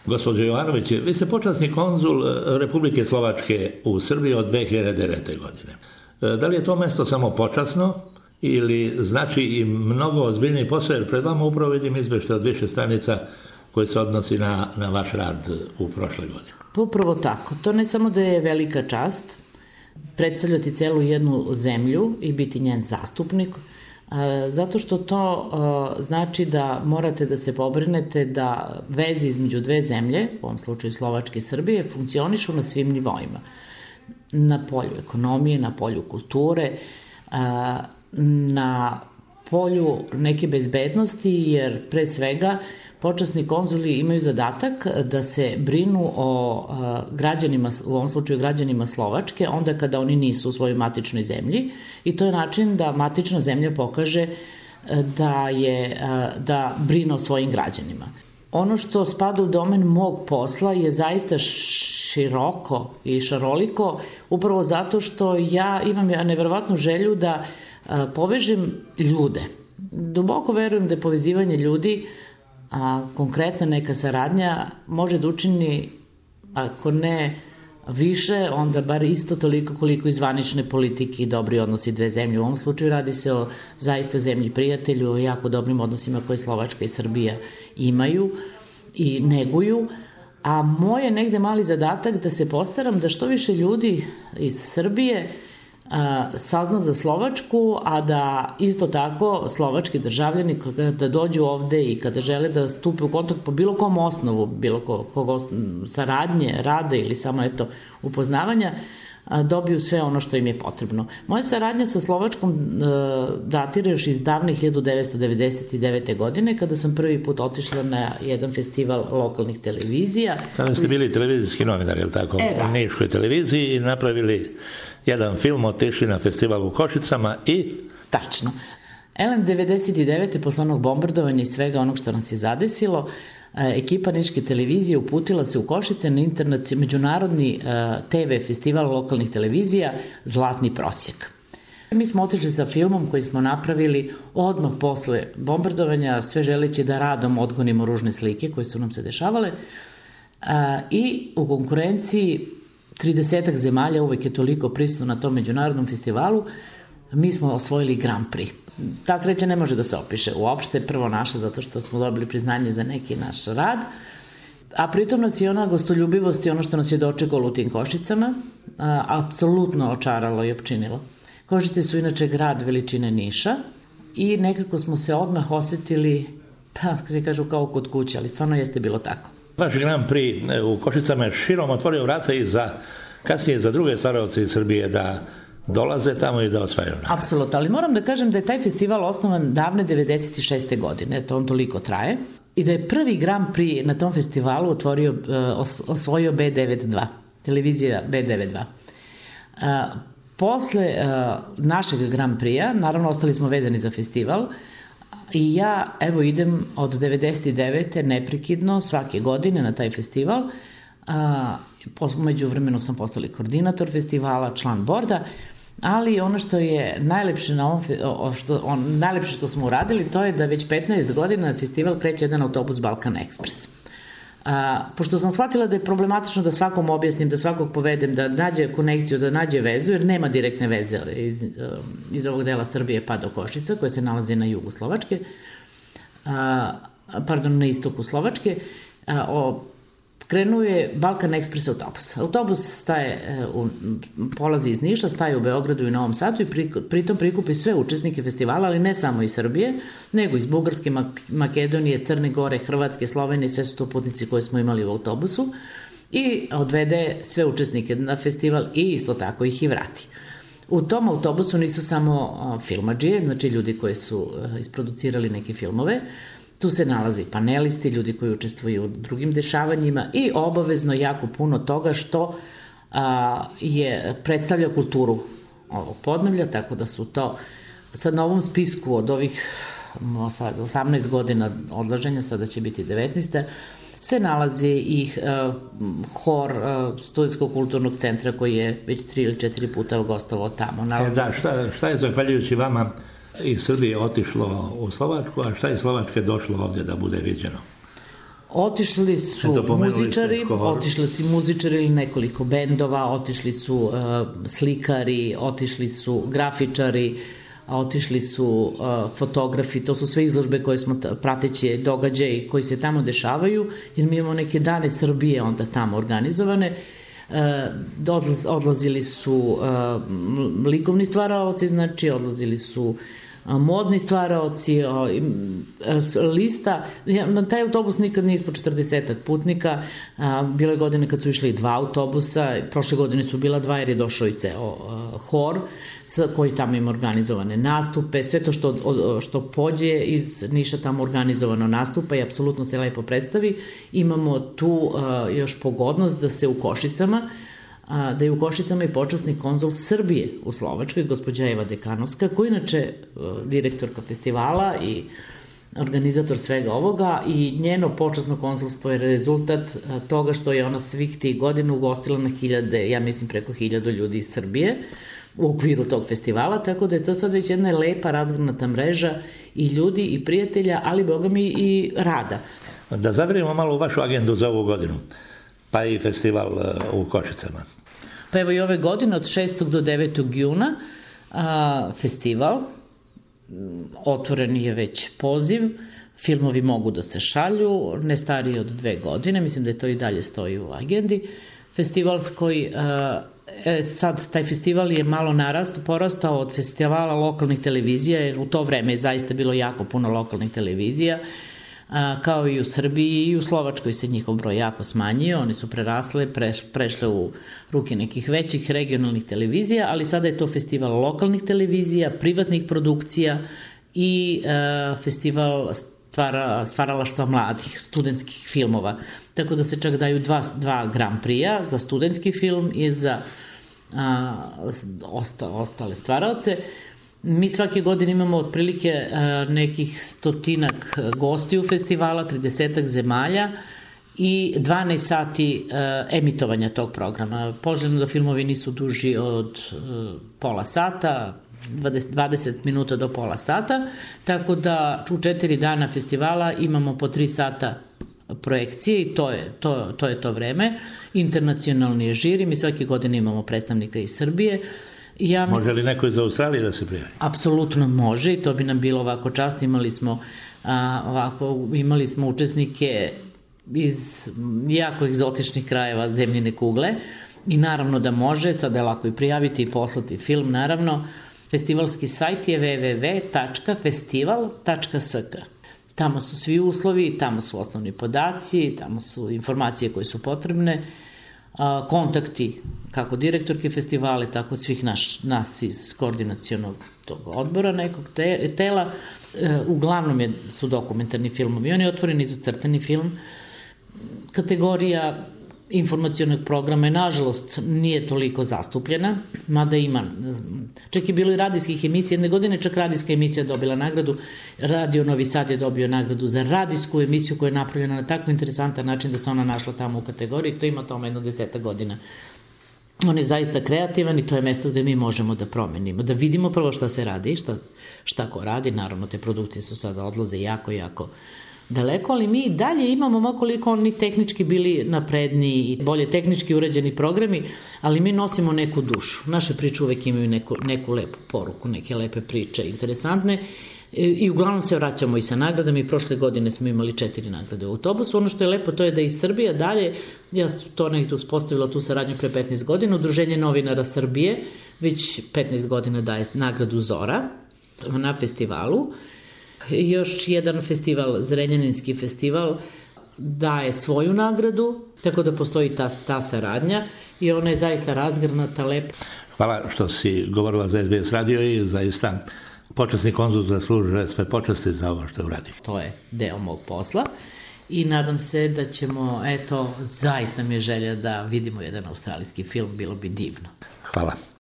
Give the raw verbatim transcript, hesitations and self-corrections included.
Gospođo Jovanović, vi ste počasni konzul Republike Slovačke u Srbiji od dve hiljade devete. godine. Da li je to mesto samo počasno ili znači i mnogo ozbiljniji posao, jer pred vama upravo vidim izveštaj od više stranica koji se odnosi na, na vaš rad u prošle godine? Upravo tako. To ne samo da je velika čast predstavljati celu jednu zemlju i biti njen zastupnik, zato što to znači da morate da se pobrinete da veze između dve zemlje, u ovom slučaju Slovačke i Srbije, funkcionišu na svim nivoima. Na polju ekonomije, na polju kulture, na polju neke bezbednosti, jer pre svega počasni konzuli imaju zadatak da se brinu o građanima, u ovom slučaju građanima Slovačke, onda kada oni nisu u svojoj matičnoj zemlji, i to je način da matična zemlja pokaže da, je, da brine o svojim građanima. Ono što spada u domen mog posla je zaista široko i šaroliko, upravo zato što ja imam neverovatnu želju da povežem ljude. Duboko verujem da je povezivanje ljudi, a konkretna neka saradnja može da učini, ako ne više, onda bar isto toliko koliko i zvanične politike i dobri odnosi dve zemlje. U ovom slučaju radi se o zaista zemlji prijatelju, o jako dobrim odnosima koje Slovačka i Srbija imaju i neguju, a moj je negde mali zadatak da se postaram da što više ljudi iz Srbije sazna za Slovačku, a da isto tako slovački državljani kada dođu ovde i kada žele da stupe u kontakt po bilo kom osnovu, bilo kog saradnje, rada ili samo eto upoznavanja, dobiju sve ono što im je potrebno. Moja saradnja sa Slovačkom datira još iz davne hiljadu devetsto devedeset devete. godine, kada sam prvi put otišla na jedan festival lokalnih televizija. Tada ste bili televizijski novinar, je li tako? E, u Niškoj televiziji i napravili jedan film, otišli na festival u Košicama i... Tačno. Elem devedeset devete. posle onog bombardovanja i svega onog što nas je zadesilo, ekipa Niške televizije uputila se u Košice na međunarodni te ve festival lokalnih televizija Zlatni prosjek. Mi smo otišli sa filmom koji smo napravili odmah posle bombardovanja, sve želeći da radom odgonimo ružne slike koje su nam se dešavale, i u konkurenciji tridesetak zemalja, uvek je toliko prisutno na tom međunarodnom festivalu, mi smo osvojili Grand Prix. Ta sreća ne može da se opiše uopšte, prvo naša, zato što smo dobili priznanje za neki naš rad, a pritom nas je ona gostoljubivost i ono što nas je dočekalo u tim Košicama a, apsolutno očaralo i opčinilo. Košice su inače grad veličine Niša i nekako smo se odmah osetili, pa se kažu kao kod kuće, ali stvarno jeste bilo tako. Vaš Grand Prix u Košicama je širom otvorio vrata i za kasnije za druge stvaraoce iz Srbije da dolaze tamo i da osvajaju. Apsolutno, ali moram da kažem da je taj festival osnovan davne devedeset šeste. godine, to on toliko traje, i da je prvi Grand Prix na tom festivalu otvorio, osvojio be devedeset dva, televizija be devedeset dva. Posle našeg Grand Prix-a, naravno ostali smo vezani za festival, i ja evo idem od devedeset devete. neprekidno svake godine na taj festival. Među vremenu sam postali koordinator festivala, član borda, ali ono što je najlepše na ovom, što, on, najlepše što smo uradili, to je da već petnaest godina na festival kreće jedan autobus Balkan Ekspres. A, pošto sam shvatila da je problematično da svakom objasnim, da svakog povedem, da nađe konekciju, da nađe vezu, jer nema direktne veze iz, iz ovog dela Srbije pa do Košica, koja se nalazi na jugu Slovačke, a, pardon, na istoku Slovačke, a, o krenuo je Balkan Ekspres autobus. Autobus staje, u, polazi iz Niša, staje u Beogradu i Novom Sadu i pri, pritom prikupi sve učesnike festivala, ali ne samo iz Srbije, nego iz Bugarske, Makedonije, Crne Gore, Hrvatske, Slovenije, sve su to putnici koje smo imali u autobusu, i odvede sve učesnike na festival i isto tako ih i vrati. U tom autobusu nisu samo filmadžije, znači ljudi koji su isproducirali neke filmove, tu se nalazi panelisti, ljudi koji učestvuju u drugim dešavanjima i obavezno jako puno toga što a, je predstavlja kulturu ovog podneblja, tako da su to sad na ovom spisku od ovih sad, osamnaest godina odlaženja, sada će biti devetnaesta, se nalazi i a, hor a, Studentskog kulturnog centra koji je već tri ili četiri puta gostovao tamo. Nalazi... E, da, šta, šta je zahvaljujući vama iz Srbije otišlo u Slovačku, a šta je Slovačke došlo ovdje da bude viđeno? Otišli su Eto, muzičari, otišli su muzičari ili nekoliko bendova, otišli su uh, slikari, otišli su grafičari, otišli su uh, fotografi, to su sve izložbe koje smo prateći događaji koji se tamo dešavaju, jer mi imamo neke dane Srbije onda tamo organizovane. Uh, odlazili su uh, likovni stvaraoci, znači odlazili su modni stvaraoci, lista, na taj autobus nikad nije ispod četrdesetak putnika, bilo je godine kad su išli dva autobusa, prošle godine su bila dva jer je došao i ceo hor koji tamo ima organizovane nastupe, sve to što, što pođe iz Niša tamo organizovano nastupa i apsolutno se lepo predstavi. Imamo tu još pogodnost da se u Košicama da je u Košicama i počasni konzul Srbije u Slovačkoj, gospođa Eva Dekanovska, koja je inače direktorka festivala i organizator svega ovoga, i njeno počasno konzulstvo je rezultat toga što je ona svih tih godina ugostila na hiljade, ja mislim preko hiljadu ljudi iz Srbije u okviru tog festivala, tako da je to sad već jedna lepa razgranata mreža i ljudi i prijatelja, ali boga mi i rada. Da zavirimo malo u vašu agendu za ovu godinu, pa i festival u Košicama. Pa evo i ove godine od šestog do devetog juna a, festival, otvoren je već poziv, filmovi mogu da se šalju, ne stariji od dve godine, mislim da je to i dalje stoji u agendi festivalskoj. A, e, sad taj festival je malo narast, porastao od festivala lokalnih televizija, jer u to vreme je zaista bilo jako puno lokalnih televizija, A, kao i u Srbiji i u Slovačkoj se njihov broj jako smanjio, oni su prerasle, pre, prešle u ruke nekih većih regionalnih televizija, ali sada je to festival lokalnih televizija, privatnih produkcija i a, festival stvara, stvaralaštva mladih, studentskih filmova. Tako da se čak daju dva, dva Grand Prix-a za studentski film i za a, osta, ostale stvaraoce. Mi svake godine imamo otprilike nekih stotinak gostiju festivala, tridesetak zemalja i dvanaest sati emitovanja tog programa. Poželjno da filmovi nisu duži od pola sata, dvadeset minuta do pola sata, tako da u četiri dana festivala imamo po tri sata projekcije i to je to, to je to vreme. Internacionalni je žiri, mi svake godine imamo predstavnika iz Srbije. Ja mislim, može li neko iz Australije da se prijavi? Apsolutno može i to bi nam bilo ovako čast. Imali smo, a, ovako, imali smo učesnike iz jako egzotičnih krajeva zemljine kugle i naravno da može, sada je lako i prijaviti i poslati film, naravno. Festivalski sajt je w w w tačka festival tačka s k. Tamo su svi uslovi, tamo su osnovni podaci, tamo su informacije koje su potrebne, kontakti kako direktorke festivale, tako svih naš, nas iz koordinacionog tog odbora nekog te, tela. E, uglavnom je, su dokumentarni filmovi. On je otvoreni za crtani film. Kategorija informacionog programa je, nažalost, nije toliko zastupljena, mada ima. Čak je bilo i radijskih emisija. Jedne godine čak radijska emisija dobila nagradu. Radio Novi Sad je dobio nagradu za radijsku emisiju koja je napravljena na tako interesantan način da se ona našla tamo u kategoriji. To ima tamo jedno deseta godina. On je zaista kreativan i to je mesto gde mi možemo da promenimo, da vidimo prvo šta se radi, šta, šta ko radi. Naravno, te produkcije su sada odlaze jako, jako daleko, ali mi dalje imamo makoliko oni tehnički bili napredniji i bolje tehnički uređeni programi, ali mi nosimo neku dušu. Naše priče uvek imaju neku, neku lepu poruku, neke lepe priče, interesantne, i, i uglavnom se vraćamo i sa nagradama. I prošle godine smo imali četiri nagrade u autobusu. Ono što je lepo, to je da i Srbija dalje, ja sam to negdje uspostavila tu saradnju pre petnaest godina, Udruženje novinara Srbije već petnaest godina daje nagradu Zora na festivalu. Još jedan festival, Zrenjaninski festival, daje svoju nagradu, tako da postoji ta, ta saradnja i ona je zaista razgrnata, lepa. Hvala što si govorila za S B S radio i zaista počasni konzul zaslužuje sve počasti za ovo što uradi. To je deo mog posla i nadam se da ćemo, eto, zaista mi je želja da vidimo jedan australijski film, bilo bi divno. Hvala.